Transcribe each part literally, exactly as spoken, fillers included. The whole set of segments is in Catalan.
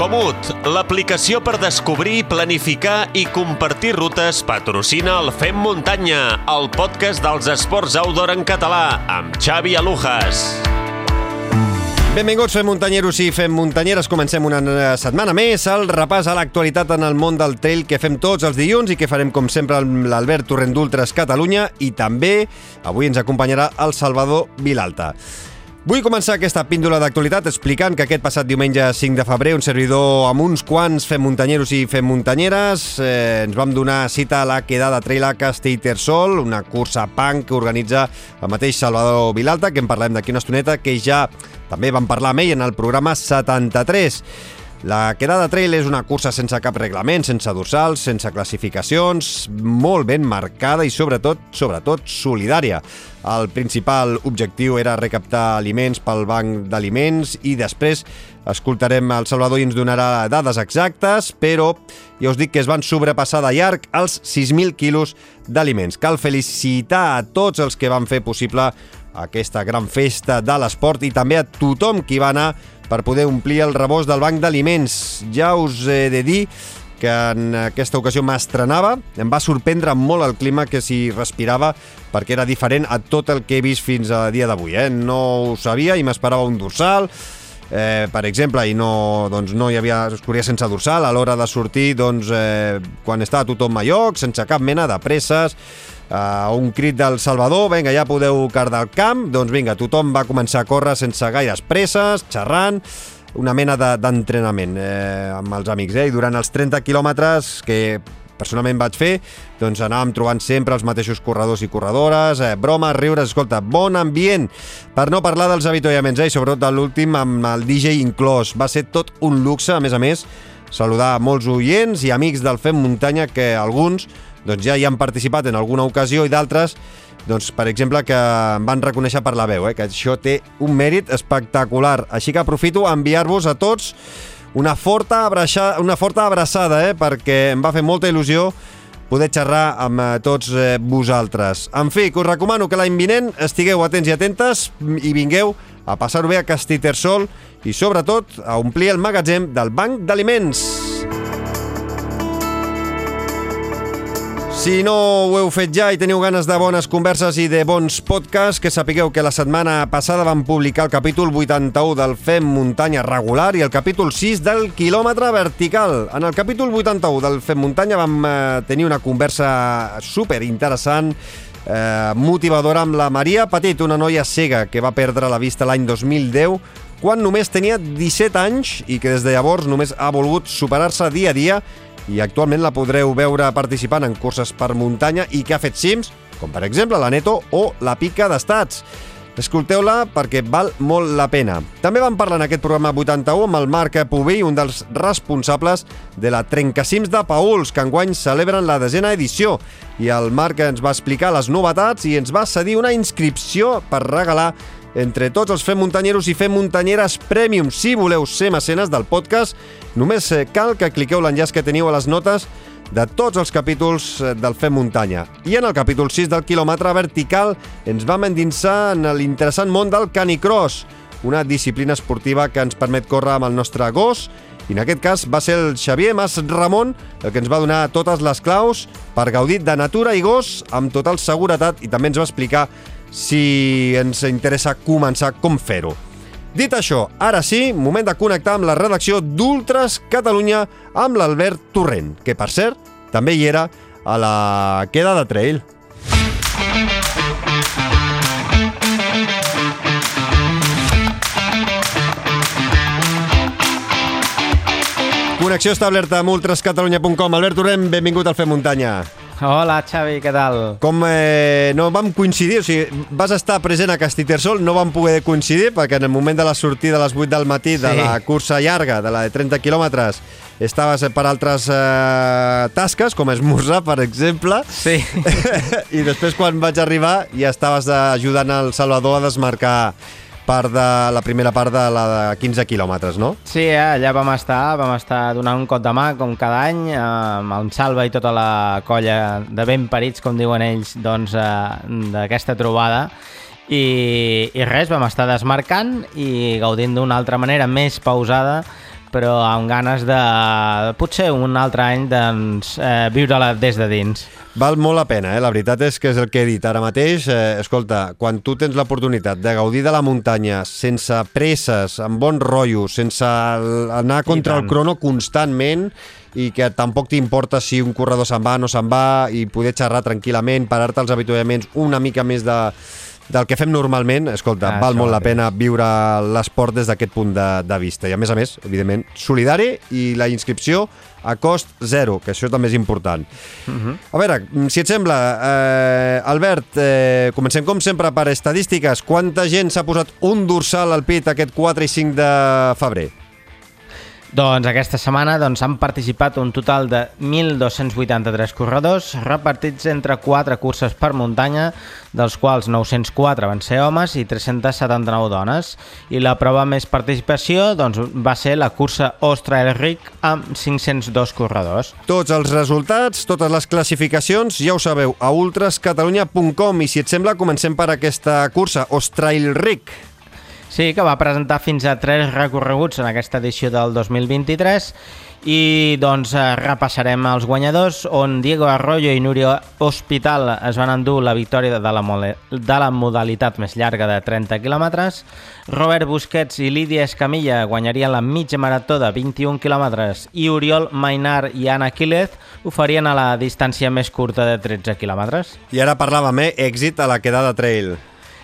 Comut, l'aplicació per descobrir, planificar i compartir rutes, patrocina el Fem Muntanya, el podcast dels esports outdoor en català, amb Xavi Alujas. Benvinguts, Fem Muntanyeros i Fem Muntanyeres. Comencem una setmana més el repàs a l'actualitat en el món del trail que fem tots els dilluns i que farem, com sempre, amb l'Albert Torrent d'Ultres Catalunya, i també avui ens acompanyarà el Salvador Vilalta. Vull començar aquesta píndola d'actualitat explicant que aquest passat diumenge cinc de febrer un servidor amb uns quants Fem Muntanyeros i Fem Muntanyeres eh, ens vam donar cita a la quedada Trail a Castellterçol, una cursa punk que organitza el mateix Salvador Vilalta, que en parlem d'aquí una estoneta, que ja també vam parlar amb ell en el programa setanta-tres. La quedada trail és una cursa sense cap reglament, sense dorsals, sense classificacions, molt ben marcada i sobretot, sobretot solidària. El principal objectiu era recaptar aliments pel banc d'aliments i després escoltarem el Salvador i ens donarà dades exactes, però ja us dic que es van sobrepassar de llarg els sis mil quilos d'aliments. Cal felicitar a tots els que van fer possible aquesta gran festa de l'esport i també a tothom qui va anar per poder omplir el rebost del banc d'aliments. Ja us he de dir que en aquesta ocasió m'estrenava, em va sorprendre molt el clima que s'hi respirava perquè era diferent a tot el que he vist fins a dia d'avui. Eh? No ho sabia i m'esperava un dorsal, eh, per exemple, i no, doncs no hi havia, es corria sense dorsal. A l'hora de sortir, doncs, eh, quan estava tothom a lloc, sense cap mena de presses, Uh, un crit del Salvador, vinga, ja podeu cardar el camp, doncs vinga, tothom va començar a córrer sense gaires presses, xerrant, una mena de, d'entrenament eh, amb els amics, eh? I durant els trenta quilòmetres que personalment vaig fer, doncs anàvem trobant sempre els mateixos corredors i corredores, eh, bromes, riures, escolta, bon ambient, per no parlar dels avituallaments, eh? I sobretot de l'últim amb el D J inclòs, va ser tot un luxe, a més a més, saludar molts oients i amics del Fem Muntanya que alguns doncs ja hi han participat en alguna ocasió i d'altres, doncs, per exemple, que em van reconèixer per la veu, eh? Que això té un mèrit espectacular. Així que aprofito a enviar-vos a tots una forta abraçada, una forta abraçada eh? Perquè em va fer molta il·lusió poder xerrar amb tots eh, vosaltres. En fi, que us recomano que l'any vinent estigueu atents i atentes i vingueu a passar-ho bé a Castellterçol i, sobretot, a omplir el magatzem del banc d'aliments. Si no ho heu fet ja i teniu ganes de bones converses i de bons podcasts, que sapigueu que la setmana passada vam publicar el capítol vuitanta-u del Fem Muntanya regular i el capítol sis del quilòmetre vertical. En el capítol vuitanta-u del Fem Muntanya vam eh, tenir una conversa super interessant, eh, motivadora, amb la Maria Petit, una noia cega que va perdre la vista l'any dos mil deu, quan només tenia disset anys i que des de llavors només ha volgut superar-se dia a dia, i actualment la podreu veure participant en curses per muntanya i que ha fet cims, com per exemple la Neto o la Pica d'Estats. Escolteu-la perquè val molt la pena. També vam parlar en aquest programa vuitanta-u amb el Marc Pubill, un dels responsables de la Trencacims de Paüls, que enguany celebren la desena edició. I el Marc ens va explicar les novetats i ens va cedir una inscripció per regalar entre tots els Fem Muntanyeros i Fem Muntanyeres Premium. Si voleu ser mecenes del podcast, només cal que cliqueu l'enllaç que teniu a les notes de tots els capítols del Fem Muntanya. I en el capítol sis del quilòmetre vertical ens vam endinsar en l'interessant món del canicross, una disciplina esportiva que ens permet córrer amb el nostre gos, i en aquest cas va ser el Xavier Mas Ramon el que ens va donar totes les claus per gaudir de natura i gos amb total seguretat, i també ens va explicar si ens interessa començar com fer-ho. Dit això, ara sí, moment de connectar amb la redacció d'Ultres Catalunya amb l'Albert Torrent, que, per cert, també hi era a la quedada trail. Connexió establerta amb ultres catalunya punt com. Albert Torrent, benvingut al Fem Muntanya. Hola, Xavi, què tal? Com eh, no vam coincidir, o sigui, vas estar present a Castellterçol, no vam poder coincidir perquè en el moment de la sortida a les vuit del matí de sí. La cursa llarga, de la de trenta quilòmetres, estaves per altres eh, tasques, com esmorzar, per exemple. Sí. I després, quan vaig arribar, ja estaves ajudant el Salvador a desmarcar part de la primera part de la de quinze quilòmetres, no? Sí, eh, allà vam estar, vam estar donant un cop de mà, com cada any, eh, amb el Salva i tota la colla de ben parits, com diuen ells, doncs, eh, d'aquesta trobada. I, I res, vam estar desmarcant i gaudint d'una altra manera més pausada però amb ganes de, potser un altre any, doncs, eh, viure-la des de dins. Val molt la pena, eh? La veritat és que és el que he dit ara mateix. Eh, escolta, quan tu tens l'oportunitat de gaudir de la muntanya sense presses, amb bon rotllo, sense anar contra el crono constantment i que tampoc t'importa si un corredor se'n va o no se'n va i poder xerrar tranquil·lament, parar-te als avituallaments una mica més de, del que fem normalment, escolta, ah, val molt la pena viure l'esport des d'aquest punt de, de vista. I a més a més, evidentment, solidari i la inscripció a cost zero, que això també és important. Uh-huh. A veure, si et sembla, eh, Albert, eh, comencem com sempre per estadístiques. Quanta gent s'ha posat un dorsal al pit aquest quatre i cinc de febrer? Doncs aquesta setmana doncs, han participat un total de mil dos-cents vuitanta-tres corredors repartits entre quatre curses per muntanya, dels quals nou-cents quatre van ser homes i tres-cents setanta-nou dones. I la prova més participació doncs, va ser la cursa Ostrail-Ric amb cinc-cents dos corredors. Tots els resultats, totes les classificacions, ja ho sabeu, a ultras catalunya punt com. I si et sembla, comencem per aquesta cursa, Ostrail-Ric. Sí, que va presentar fins a tres recorreguts en aquesta edició del dos mil vint-i-tres i doncs repassarem els guanyadors, on Diego Arroyo i Núria Hospital es van endur la victòria de la, de la modalitat més llarga de trenta quilòmetres. Robert Busquets i Lídia Escamilla guanyarien la mitja marató de vint-i-un quilòmetres i Oriol Mainar i Anna Quílez ho farien a la distància més curta de tretze quilòmetres. I ara parlàvem, eh? Èxit a la quedada trail.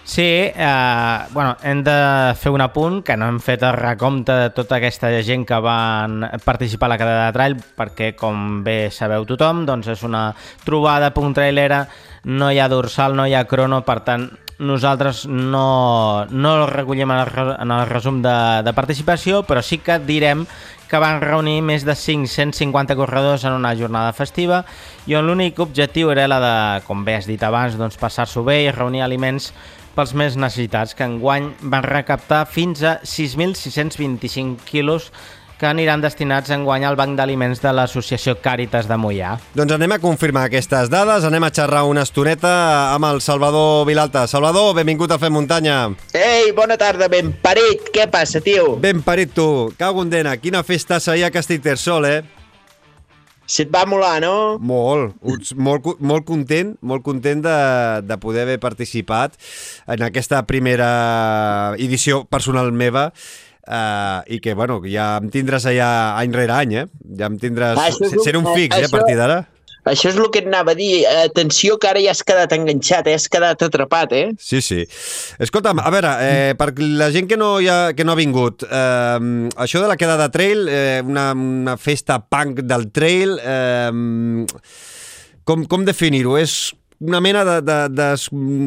Sí, eh, bueno, hem de fer un apunt, que no hem fet el recompte de tota aquesta gent que van participar a la quedada de trail, perquè, com bé sabeu tothom, doncs és una trobada punt trailera, no hi ha dorsal, no hi ha crono, per tant, nosaltres no, no el recollim en el, en el resum de, de participació, però sí que direm que van reunir més de cinc-cents cinquanta corredors en una jornada festiva i on l'únic objectiu era la de, com bé has dit abans, doncs passar-s'ho bé i reunir aliments pels més necessitats, que enguany van recaptar fins a sis mil sis-cents vint-i-cinc quilos que aniran destinats enguany al Banc d'Aliments de l'Associació Càritas de Moià. Doncs anem a confirmar aquestes dades, anem a xerrar una estoneta amb el Salvador Vilalta. Salvador, benvingut a Fem Muntanya. Ei, bona tarda, ben parit. Què passa, tio? Ben parit, tu. Cago en dena, quina festa ahir a Castellterçol, eh? Se't va molar, no? Molt, molt, molt content, molt content de, de poder haver participat en aquesta primera edició personal meva. Uh, i que, bueno, ja em tindràs allà any rere any, eh? Ja em tindràs... Ah, ser un fix, eh, a partir d'ara. Això és el que et anava a dir. Atenció, que ara ja has quedat enganxat, eh? Has quedat atrapat, eh? Sí, sí. Escolta'm, a veure, eh, per la gent que no, ha, que no ha vingut, eh, això de la quedada trail, eh, una, una festa punk del trail, eh, com, com definir-ho? És una mena de, de, de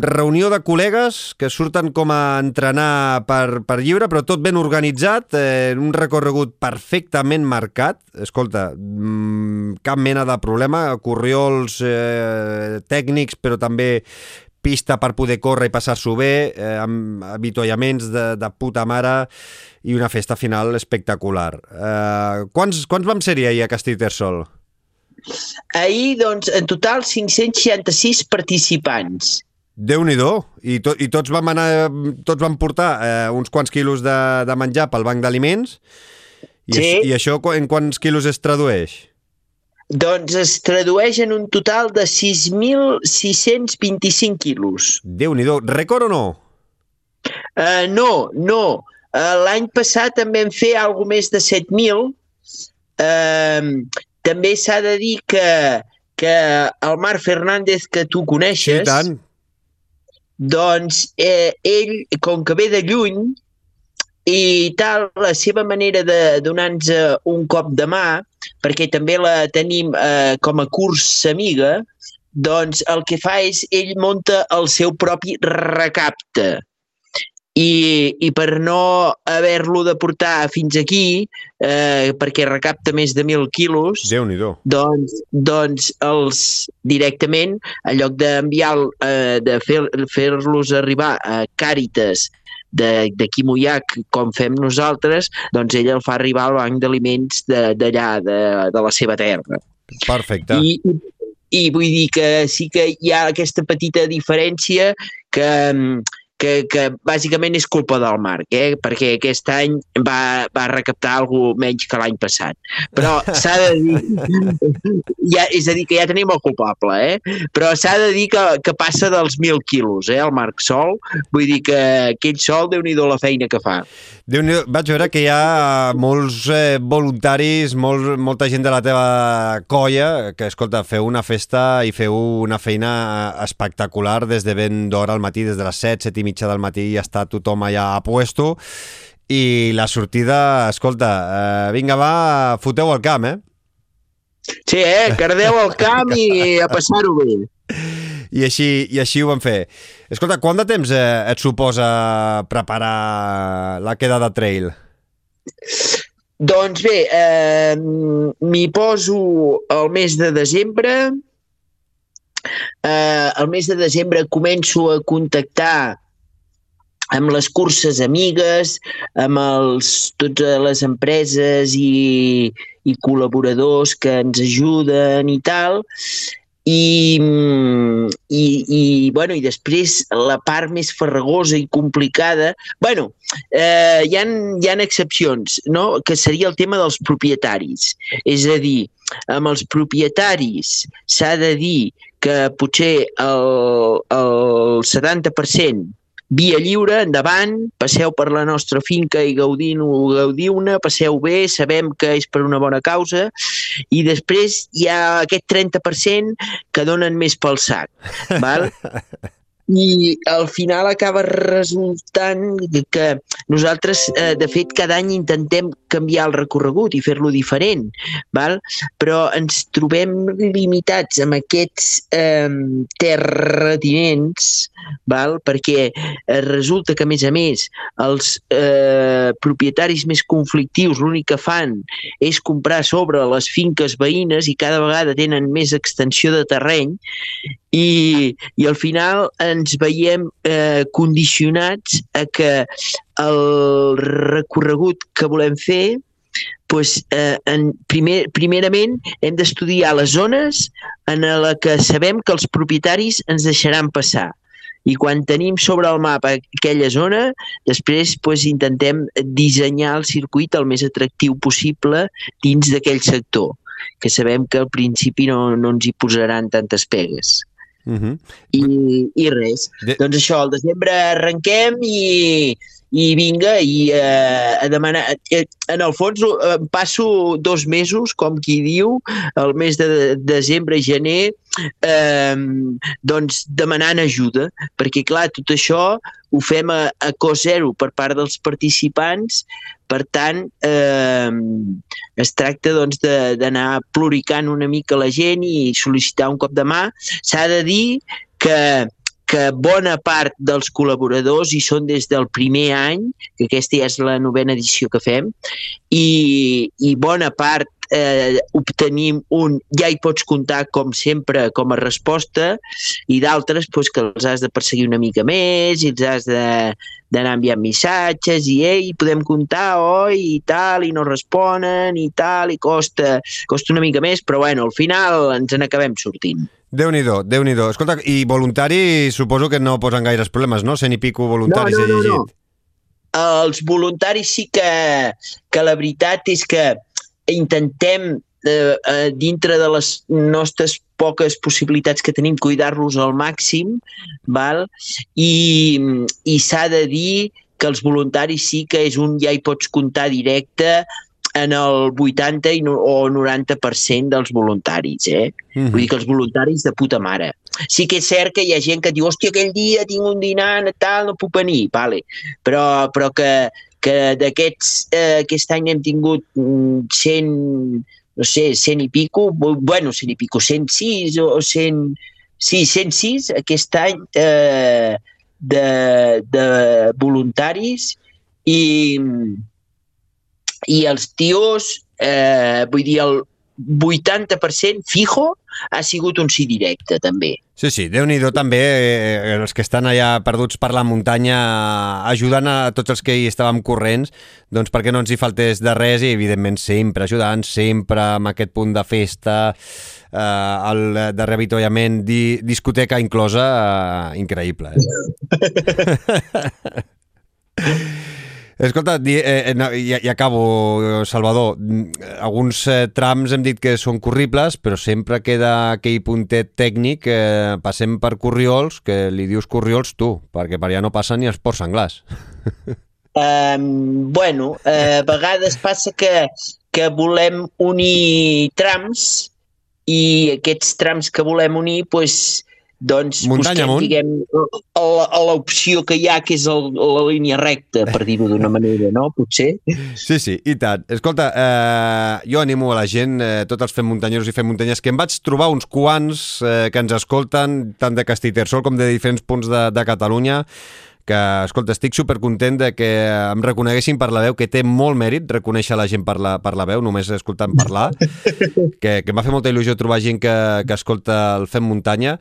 reunió de col·legues que surten com a entrenar per, per lliure, però tot ben organitzat, eh, un recorregut perfectament marcat. Escolta, mmm, cap mena de problema, corriols eh, tècnics, però també pista per poder córrer i passar-s'ho bé, eh, amb avituallaments de, de puta mare i una festa final espectacular. Eh, quants, quants vam ser-hi ahir a Castellterçol? Ahir, doncs, en total cinc-cents seixanta-sis participants. Déu-n'hi-do. I, to, i tots vam anar, tots vam portar eh, uns quants quilos de, de menjar pel banc d'aliments. I, sí. I això en quants quilos es tradueix? Doncs es tradueix en un total de sis mil sis-cents vint-i-cinc quilos. Déu-n'hi-do. Rècord o no? Uh, no, no. Uh, L'any passat en vam fer alguna més de set mil. Uh, També s'ha de dir que, que el Marc Fernández, que tu coneixes, sí, tant. Doncs eh, ell, com que ve de lluny i tal, la seva manera de donar-nos un cop de mà, perquè també la tenim eh, com a curs amiga, doncs el que fa és ell munta el seu propi recapte. I, i per no haver-lo de portar fins aquí, eh, perquè recapta més de mil quilos, Déu-n'hi-do. doncs, doncs els directament, en lloc d'enviar, eh, de fer, fer-los arribar a Càritas d'aquí Moià, com fem nosaltres, doncs ell el fa arribar al banc d'aliments d'allà, de, de la seva terra. Perfecte. I, i, I vull dir que sí que hi ha aquesta petita diferència que... que, que bàsicament és culpa del Marc, eh? Perquè aquest any va, va recaptar alguna menys que l'any passat. Però s'ha de dir... Ja, és a dir, que ja tenim el culpable, eh? Però s'ha de dir que, que passa dels mil quilos, eh, el Marc Sol. Vull dir que aquell sol, Déu-n'hi-do la feina que fa. Déu-n'hi-do, vaig veure que hi ha molts eh, voluntaris, molt, molta gent de la teva colla, que, escolta, feu una festa i feu una feina espectacular des de ben d'hora al matí, des de les set, set i mitja del matí, ja està tothom allà a puesto, i la sortida, escolta, eh, vinga, va, foteu al camp, eh? Sí, eh? Cardeu al camp i a passar-ho bé. I així, I així ho vam fer. Escolta, quant de temps eh, et suposa preparar la quedada trail? Doncs bé, eh, m'hi poso el mes de desembre. Eh, el mes de desembre començo a contactar amb les curses amigues, amb els, totes les empreses i, i col·laboradors que ens ajuden i tal. I, i, i, bueno, i després la part més farragosa i complicada, bueno, eh, hi ha, hi ha excepcions, no? Que seria el tema dels propietaris. És a dir, amb els propietaris s'ha de dir que potser el, el setanta per cent via lliure, endavant, passeu per la nostra finca i gaudiu-ne, passeu bé, sabem que és per una bona causa, i després hi ha aquest trenta per cent que donen més pel sac, val? I al final acaba resultant que nosaltres, eh, de fet, cada any intentem canviar el recorregut i fer-lo diferent, val? Però ens trobem limitats amb aquests eh, terratinents, val? Perquè eh, resulta que, a més a més, els eh, propietaris més conflictius l'únic que fan és comprar sobre les finques veïnes i cada vegada tenen més extensió de terreny i, i al final ens veiem eh, condicionats a que el recorregut que volem fer, doncs, eh, en primer, primerament hem d'estudiar les zones en la que sabem que els propietaris ens deixaran passar. I quan tenim sobre el mapa aquella zona, després doncs, intentem dissenyar el circuit el més atractiu possible dins d'aquell sector, que sabem que al principi no, no ens hi posaran tantes pegues. Uh-huh. I, i res, de... doncs això, al desembre arrenquem i, i vinga, i eh, a demanar, eh, en el fons eh, passo dos mesos, com qui diu, el mes de desembre i gener, eh, doncs demanant ajuda, perquè clar, tot això ho fem a, a cost zero per part dels participants. Per tant, eh, es tracta doncs, d'anar ploricant una mica la gent i sol·licitar un cop de mà. S'ha de dir que, que bona part dels col·laboradors hi són des del primer any, que aquesta ja és la novena edició que fem, i, i bona part eh, obtenim un ja hi pots comptar com sempre com a resposta, i d'altres doncs, que els has de perseguir una mica més i els has de d'anar enviant missatges i ei, podem comptar, oi, i tal, i no responen, i tal, i costa, costa una mica més, però bueno, al final ens en acabem sortint. Déu-n'hi-do, Déu-n'hi-do. Escolta, i voluntari suposo que no posen gaires problemes, no? Cent i pico voluntaris no, no, he llegit. No, no. Els voluntaris sí que, que la veritat és que intentem eh, eh, dintre de les nostres poques possibilitats que tenim, cuidar-los al màxim, val? I, i s'ha de dir que els voluntaris sí que és un ja hi pots comptar directe en el vuitanta o noranta per cent dels voluntaris, eh? Mm-hmm. Vull dir que els voluntaris de puta mare. Sí que és cert que hi ha gent que diu hòstia, aquell dia tinc un dinar, tal, no puc venir, vale. però, però que, que d'aquests, eh, aquest any hem tingut cent, no sé, cent i pico, bueno, cent i pico, cent sis o cent... Sí, cent sis aquest any eh, de, de voluntaris i, i els tios, eh, vull dir, el vuitanta per cent fijo ha sigut un sí directe, també. Sí, sí, Déu-n'hi-do també, eh, els que estan allà perduts per la muntanya, ajudant a tots els que hi estàvem corrents, doncs perquè no ens hi faltés de res i, evidentment, sempre ajudant, sempre amb aquest punt de festa, eh, el de reavituallament, di, discoteca inclosa, eh, increïble. Eh? Escolta, eh, i, i acabo, Salvador. Alguns eh, trams hem dit que són corribles, però sempre queda aquell puntet tècnic. Eh, passem per Corriols, que li dius Corriols tu, perquè per allà no passen ni els ports senglars. Um, bueno, eh, a vegades passa que, que volem unir trams i aquests trams que volem unir, doncs, doncs muntanya busquem, diguem, l'opció que hi ha, que és el, la línia recta, per dir-ho d'una manera, no? Potser. Sí, sí, i tant. Escolta, eh, jo animo a la gent, eh, tots els fem muntanyeros i fem muntanyes, que em vaig trobar uns quants eh, que ens escolten, tant de Castellterçol com de diferents punts de, de Catalunya, que, escolta, estic supercontent de que em reconeguessin per la veu, que té molt mèrit reconèixer la gent per la, per la veu, només escoltant parlar, que, que m'ha fet molta il·lusió trobar gent que, que escolta el Fem Muntanya.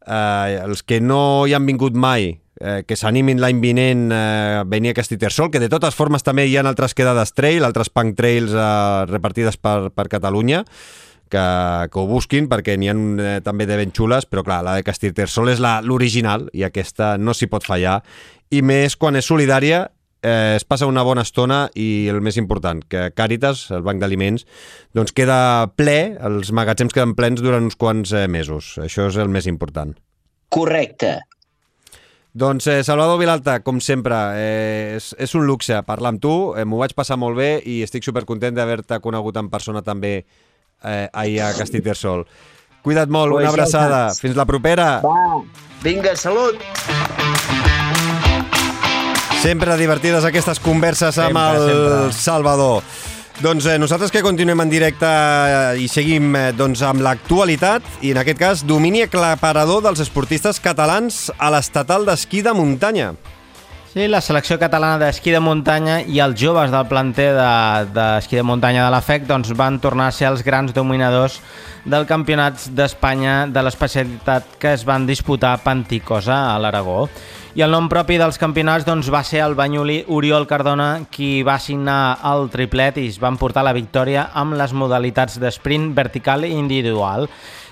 Uh, els que no hi han vingut mai, eh, que s'animin l'any vinent a eh, venir a Castellterçol, que de totes formes també hi ha altres quedades trail, altres punk trails eh, repartides per, per Catalunya, que, que ho busquin, perquè n'hi ha eh, també de ben xules, però clar, la de Castellterçol és l'original i aquesta no s'hi pot fallar, i més quan és solidària, eh, es passa una bona estona i el més important, que Càritas, el banc d'aliments, doncs queda ple, els magatzems queden plens durant uns quants eh, mesos. Això és el més important. Correcte. Doncs eh, Salvador Vilalta, com sempre, eh, és, és un luxe parlar amb tu, eh, m'ho vaig passar molt bé i estic supercontent d'haver-te conegut en persona també eh, ahir a Castellterçol. Cuida't molt, pues una abraçada. Ja fins la propera. Va, vinga, salut. Sempre divertides aquestes converses amb sempre, el sempre. Salvador. Doncs eh, nosaltres que continuem en directe eh, i seguim eh, doncs, amb l'actualitat i en aquest cas domini aclaparador dels esportistes catalans a l'estatal d'esquí de muntanya. Sí, la selecció catalana d'esquí de muntanya i els joves del planter d'esquí de, de muntanya de la F E C doncs, van tornar a ser els grans dominadors del campionat d'Espanya de l'especialitat que es van disputar a Panticosa, a l'Aragó. I el nom propi dels campionats doncs, va ser el banyolí Oriol Cardona, qui va signar el triplet i es van portar la victòria amb les modalitats d'esprint vertical i individual.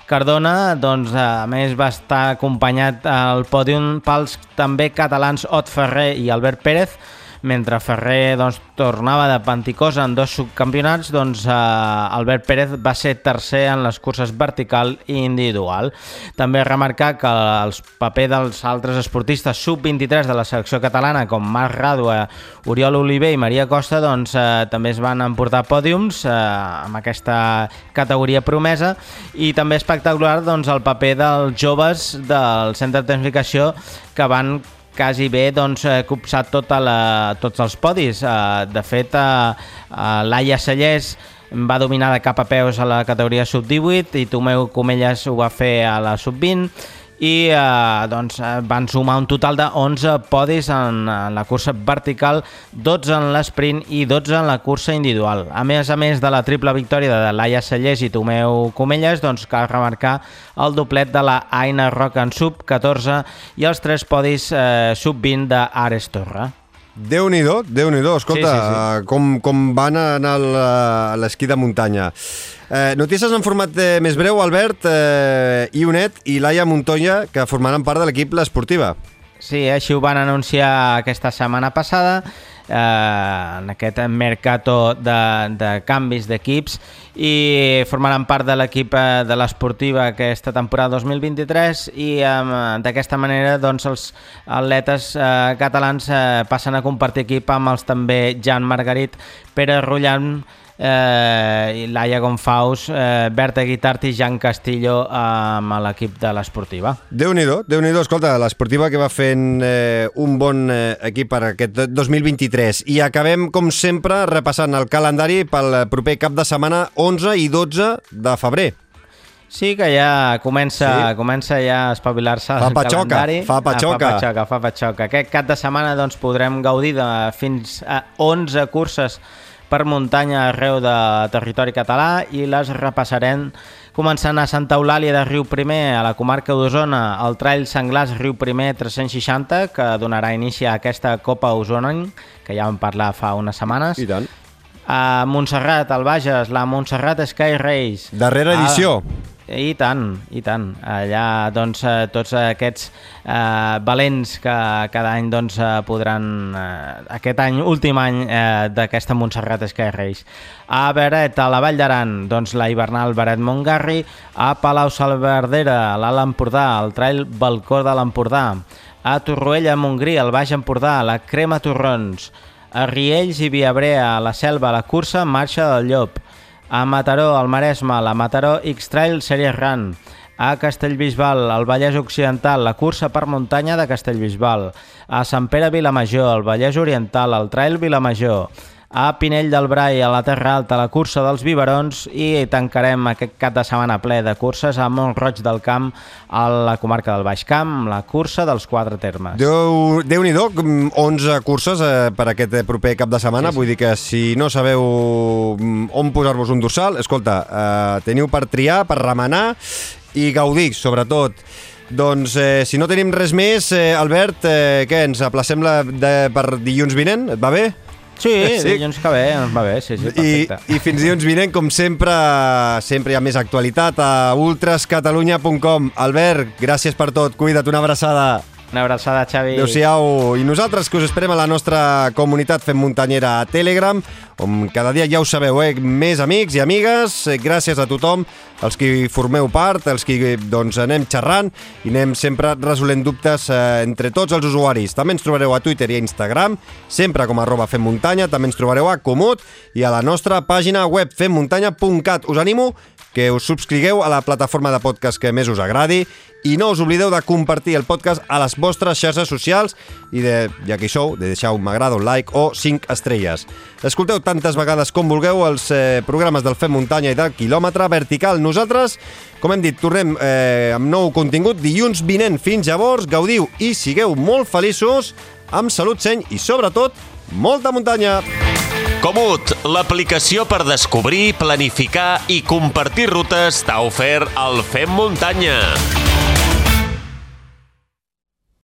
Cardona, doncs, a més, va estar acompanyat al pòdium pels també catalans Ot Ferrer i Albert Pérez, mentre Ferrer doncs, tornava de Panticosa en dos subcampionats, doncs eh, Albert Pérez va ser tercer en les curses vertical i individual. També remarcar que els papers dels altres esportistes sub vint-i-tres de la selecció catalana, com Marc Ràdua, Oriol Oliver i Maria Costa, doncs eh, també es van emportar pòdiums eh, amb aquesta categoria promesa, i també espectacular doncs, el paper dels joves del centre de tecnificació que van quasi bé doncs, copsat tota la, tots els podis. De fet, Laia Cellers va dominar de cap a peus a la categoria sub divuit i Tomeu Comelles ho va fer a la sub vint i eh, doncs, van sumar un total de onze podis en, en la cursa vertical, dotze en l'esprint i dotze en la cursa individual. A més a més de la triple victòria de Laia Cellers i Tomeu Comelles, doncs cal remarcar el doblet de la Aina Roca en sub catorze i els tres podis eh, sub vint d'Ares Torra. Déu-n'hi-do, Déu-n'hi-do. Escolta, sí, sí, sí. Com, com van anar a l'esquí de muntanya. Eh, notícies en format eh, més breu, Albert, eh, Ionet i Laia Montoya, que formaran part de l'equip L'Esportiva. Sí, així ho van anunciar aquesta setmana passada, eh, en aquest mercato de, de canvis d'equips, i formaran part de l'equip de l'Esportiva aquesta temporada dos mil vint-i-tres, i eh, d'aquesta manera doncs, els atletes eh, catalans eh, passen a compartir equip amb els també Jan Margarit, Pere Rullan, eh, Laia Gonfaus, eh, Berta Guitart i Jan Castillo eh, amb l'equip de l'Esportiva. Déu-n'hi-do, Déu-n'hi-do. Escolta, l'Esportiva que va fent eh, un bon eh, equip per aquest dos mil vint-i-tres. I acabem, com sempre, repassant el calendari pel proper cap de setmana onze i dotze de febrer. Sí, que ja comença, sí. comença ja a espavilar-se el calendari. Fa patxoca, fa patxoca, fa patxoca. Aquest cap de setmana doncs, podrem gaudir de fins a onze curses per muntanya arreu de territori català i les repassarem començant a Santa Eulàlia de Riuprimer, a la comarca d'Osona, el Trail Senglars Riuprimer tres-cents seixanta, que donarà inici a aquesta Copa Osona, que ja vam parlar fa unes setmanes. I tant. A Montserrat, al Bages, la Montserrat Sky Race. Darrera edició. A... I tant, i tant. Allà, doncs, tots aquests eh, valents que cada any doncs, podran... Eh, aquest any, últim any eh, d'aquesta Montserrat Sky Race. A Beret, a la Vall d'Aran, doncs, la hivernal Beret-Montgarri. A Palau-Salverdera, a l'Alt Empordà, el Trail Balcó de l'Empordà. A Torroella, a Montgrí, al Baix Empordà, la Crema Torrons. A Riells i Viabrea, a la Selva, a la cursa Marxa del Llop. A Mataró, al Maresme, la Mataró X-Trail Series Run. A Castellbisbal, al Vallès Occidental, la cursa per muntanya de Castellbisbal. A Sant Pere Vilamajor, al Vallès Oriental, el Trail Vilamajor. A Pinell del Brai, a la Terra Alta, la cursa dels Biberons, i tancarem aquest cap de setmana ple de curses a Mont-roig del Camp, a la comarca del Baix Camp, la cursa dels Quatre Termes. Déu, Déu-n'hi-do, onze curses eh, per aquest proper cap de setmana, sí, sí. Vull dir que si no sabeu on posar-vos un dorsal, escolta, eh, teniu per triar, per remenar i gaudir, sobretot. Doncs, eh, si no tenim res més, eh, Albert, eh, què, ens aplacem la, de, per dilluns vinent? Et va bé? Sí, sí, dilluns que ve, ens va bé, sí, sí, perfecte. I, i fins dilluns vinent, com sempre, sempre hi ha més actualitat a ultras catalunya punt com. Albert, gràcies per tot, cuida't, una abraçada. Una abraçada, Xavi. Adéu-siau. I nosaltres, que us esperem a la nostra comunitat Fem Muntanyera a Telegram, on cada dia, ja ho sabeu, eh, més amics i amigues. Gràcies a tothom, els que formeu part, els que doncs, anem xerrant i anem sempre resolent dubtes eh, entre tots els usuaris. També ens trobareu a Twitter i a Instagram, sempre com arroba Fem Muntanya. També ens trobareu a Comut i a la nostra pàgina web fem muntanya punt cat. Us animo que us subscrigueu a la plataforma de podcast que més us agradi i no us oblideu de compartir el podcast a les vostres xarxes socials i, de, ja que hi sou, de deixar un m'agrada, un like o cinc estrelles. Escolteu tantes vegades com vulgueu els eh, programes del Fem Muntanya i del Quilòmetre Vertical. Nosaltres, com hem dit, tornem eh, amb nou contingut dilluns vinent. Fins llavors, gaudiu i sigueu molt feliços, amb salut, seny i, sobretot, molta muntanya! Comut, l'aplicació per descobrir, planificar i compartir rutes t'ha ofert el Fem Muntanya.